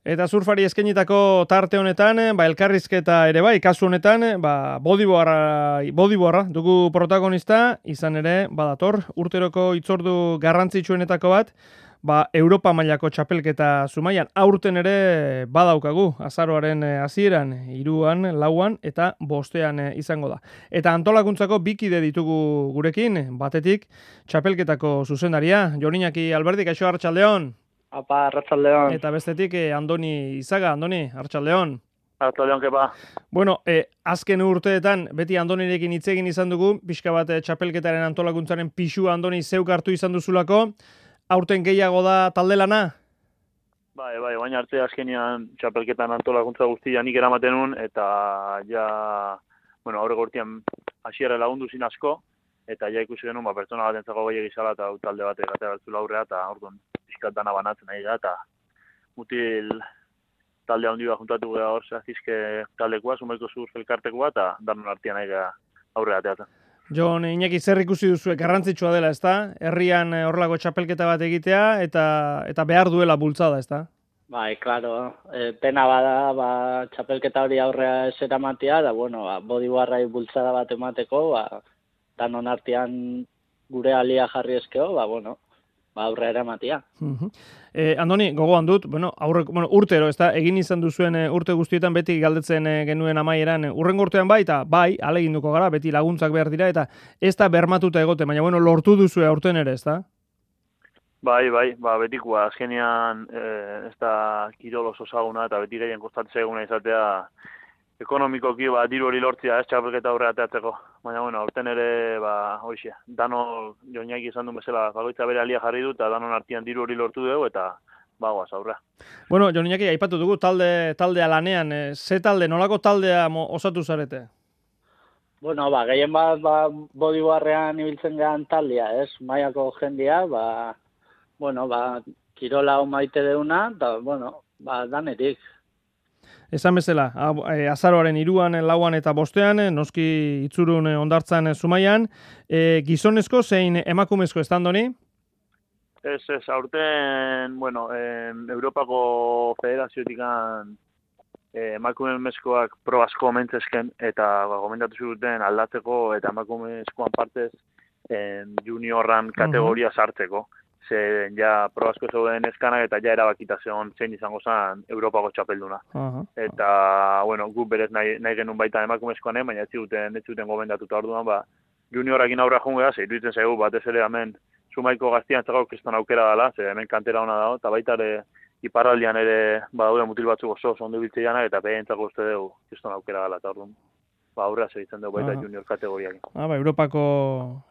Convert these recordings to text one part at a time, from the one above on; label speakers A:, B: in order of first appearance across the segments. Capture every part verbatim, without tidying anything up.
A: Eta surfari eskainitako tarte honetan, ba, elkarrizketa ere bai, kasu honetan, ba, bodyboarda, bodyboarda dugu protagonista, izan ere, badator, urteroko itzordu garrantzitsuenetako bat, ba, Europa mailako txapelketa zumaian, aurten ere badaukagu, azaroaren hasieran, hiruan, lauan, eta bostean izango da. Eta antolakuntzako bikide ditugu gurekin, batetik, txapelketako zuzendaria, Jon Iñaki Alberdi, kaixo Arratsaldeon.
B: Apa, Arratsaldeon.
A: Eta bestetik, eh, Andoni Izaga, Andoni, Arratsaldeon.
B: Arratsaldeon, kepa.
A: Bueno, eh, azken urteetan, beti Andonirekin hitz egin izan dugu, pixka bat eh, txapelketaren antolakuntzaren pixua Andoni zeuk hartu izan duzulako, aurten gehiago da talde lana?
B: Bai, bai, baina arte azkenean txapelketan antolakuntza guztia nik eramaten nun, eta ja, bueno, aurreko urtean hasiera lagundu zin asko, eta ja ikusi genuen, ba, pertsona bat entzako gehiagik izala, eta talde bat egatea bertzula aurrea, eta orduan pixkat dana banatzen nahi da, eta mutil talde handi bat juntatu gara hor, zehazizke taldekoa, sumaiko surf elkartekoa, eta danon artean nahi gara aurrea ateatzen.
A: Jon Iñaki, zer ikusi duzu garrantzitsua dela, ezta? Herrian horrelako txapelketa bat egitea, eta eta behar duela bultzada, ezta?
C: Bai, claro, e, pena bada, ba, txapelketa hori aurrea ez eramatea, da, bueno, ba, bodyboarrai bultzada bat emateko, ba, danon artean gure alia jarri eskeo, ba, bueno, ba, aurrea eramatea.
A: Uh -huh. eh, Andoni, gogoan dut, bueno, aurre, bueno, urtero, ezta, egin izan duzuen e, urte guztietan beti galdetzen e, genuen amaieran, e, urrengo urtean bai, eta bai, aleginduko gara, beti laguntzak behar dira, eta ez da bermatuta egote, baina, bueno, lortu duzue aurten ere, ezta?
B: Bai, bai, ba, betikoa, azkenean eh, ez da kirol oso zaguna, eta beti gehien kostatzea eguna izatea, ekonomikoki, ba, diru hori lortzea, ez txapelketa aurrea ateatzeko. Baina, bueno, aurten ere, ba, hoxe, dano, Joniak izan duen bezala, bakoitza bere alia jarri du, eta danon artean diru hori lortu dugu, eta bagoaz aurrea.
A: Bueno, Jon Iñaki, aipatu dugu talde taldea lanean, e, ze talde, nolako taldea mo, osatu zarete?
C: Bueno, ba, gehien bat, ba, bodyboarrean ibiltzen gehan taldea, ez? Maiako jendia, ba, bueno, ba, kirola maite deuna, eta, bueno, ba, danetik.
A: Esan bezala, azaroaren hiruan, lauan eta bostean, noski itzurun ondartzan Zumaian, e, gizonezko zein emakumezko ez Andoni?
B: Ez, ez, aurten, bueno, eh, Europako Federaziotikan eh, emakumezkoak pro asko mentzesken, eta ba, gomendatu zuten aldatzeko, eta emakumezkoan partez eh, juniorran kategoria uh -huh. sartzeko. Ze ja pro asko zeuden eskanak eta ja erabakita zeon zein izango zen Europako txapelduna. Uh-huh. Eta, bueno, guk berez nahi, nahi genuen baita emakumezkoan, baina ez zuten, ez zuten gomendatuta orduan, ba, juniorakin aurra jungea, ze iruditzen zaigu, batez ere hemen Zumaiko gaztian txakau kriston aukera dela, ze hemen kantera hona dago, eta baita ere iparraldian ere badaude mutil batzuk oso oso ondo biltze janak, eta behentzako uste dugu kriston aukera dela, eta orduan. Ba, aurrea segitzen dugu baita uh-huh. junior kategoriak.
A: Ah, ba, Europako,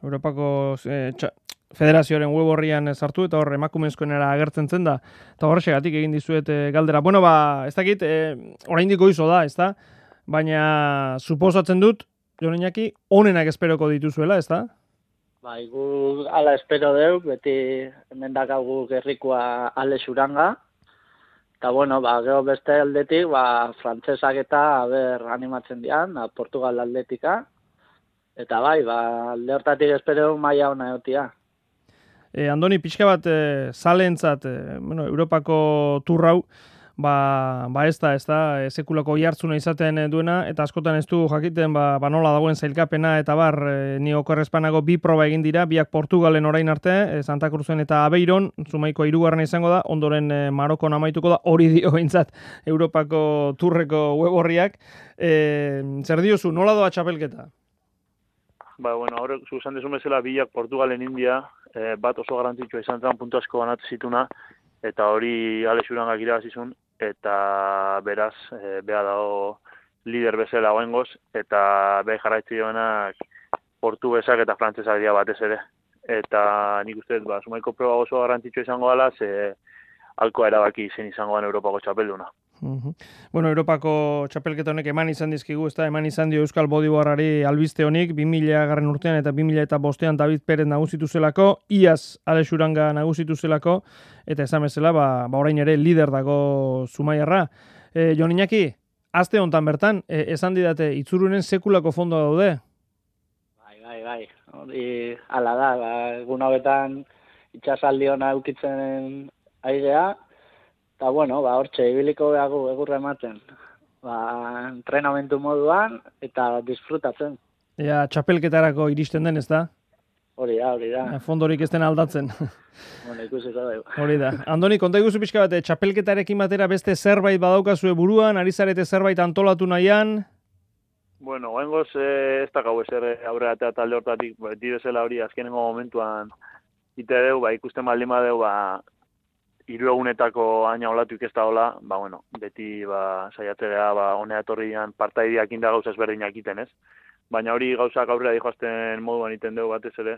A: Europako eh, txa, Federazioaren web horrian sartu eta hor emakumezkoenera agertzen zen da. Eta horrexegatik egin dizuet e, galdera. Bueno, ba, ez dakit, e, oraindik goizo da, ezta? Baina suposatzen dut, Jon Iñaki, onenak esperoko dituzuela, ezta?
C: Bai, gu ala espero deu, beti hemen dakagu gerrikoa Ale Xuranga. Eta, bueno, ba, gero beste aldetik, ba, frantzesak eta, aber, animatzen dian, a, Portugal aldetika. Eta bai, ba, alde hortatik espero maila ona egotia.
A: E, Andoni, pixka bat e, zalentzat, e, bueno, Europako turrau, ba, ba ez da, ez da, e, sekulako jartzuna izaten duena, eta askotan ez du jakiten, ba, ba nola dagoen zailkapena, eta bar, e, ni okorrezpanago bi proba egin dira, biak Portugalen orain arte, e, Santa Cruzen eta Aveiron, Zumaiko hirugarrena izango da, ondoren e, Marokon amaituko da, hori dio behintzat Europako turreko web horriak. E, zer diozu, nola doa txapelketa?
B: Ba, bueno, hor, zuzan desun bezala, biak Portugalen India, eh, bat oso garantzitsua izan zen puntu asko banatu zituna, eta hori Ale Xurangak irabazizun, eta beraz, eh, beha dago lider bezala goengoz, eta beha jarraitzi joanak portugesak eta frantzesak dira batez ere. Eta nik uste, ba, Zumaiko proba oso garantzitsua izango dela, ze alkoa erabaki zen izango den Europako txapelduna.
A: Uh-huh. Bueno, Europako txapelketa honek eman izan dizkigu, ez da, eman izan dio Euskal Bodyboarrari albiste honik, bi mila garren urtean eta bi mila eta bostean David Perez nagusitu zelako, iaz Ale Xuranga nagusitu zelako, eta esan bezala, ba, ba orain ere lider dago Zumaiarra. E, Jon Iñaki, aste hontan bertan, e, esan didate, itzurunen sekulako fondoa daude?
C: Bai, bai, bai, hori ala da, ba, egun hauetan itxasaldi hona eukitzen aigea, Eta, bueno, ba, hortxe, ibiliko behagu egurra ematen. Ba, entrenamentu moduan eta disfrutatzen.
A: Ea, txapelketarako iristen den, ez da?
C: Hori da, hori da.
A: Fondorik ez den aldatzen.
C: Bueno, ikusiko dugu.
A: Hori da. Andoni, konta iguzu pixka bat, txapelketarekin batera beste zerbait badaukazue buruan, ari zarete zerbait antolatu nahian?
B: Bueno, goengoz eh, ez dakau ezer aurre eta talde hortatik, beti bezala hori azkenengo momentuan ite deu, ba, ikusten baldin badeu, ba, hiru egunetako aina olatuik ez da hola, ba, bueno, beti ba, saiatzea, ba, honea etorrian partaideak inda gauza ezberdinak iten, ez? Baina hori gauzak aurrera dijoazten moduan iten dugu batez ere,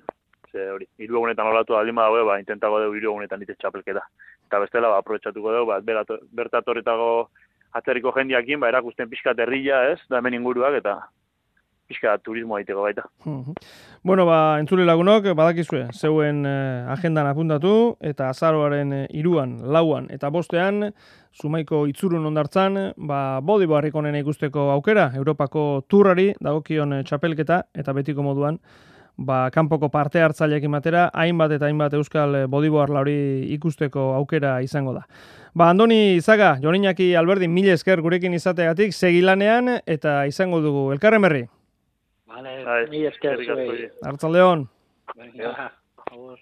B: ze hori, hiru egunetan olatu baldin badago, ba, intentago dugu hiru egunetan ite txapelketa. Eta bestela, ba, aprobetxatuko dugu, ba, bertatorretago atzerriko jendiakin, ba, erakusten pixka terrilla, ez, da hemen inguruak, eta pixka turismoa iteko baita.
A: Bueno, ba, entzule lagunok, badakizue, zeuen eh, agendan apuntatu, eta azaroaren eh, iruan, lauan, eta bostean, Zumaiko itzurun ondartzan, ba, bodibo harrikonena ikusteko aukera, Europako turrari, dagokion eh, txapelketa, eta betiko moduan, ba, kanpoko parte hartzaileekin batera, hainbat eta hainbat euskal eh, bodibo hori ikusteko aukera izango da. Ba, Andoni Izaga, Jon Iñaki Alberdin, mila esker gurekin izateagatik, segilanean, eta izango dugu elkarren berri.
C: Vale, mila esker zuei.
A: Arratsaldeon.
C: Venga, agur.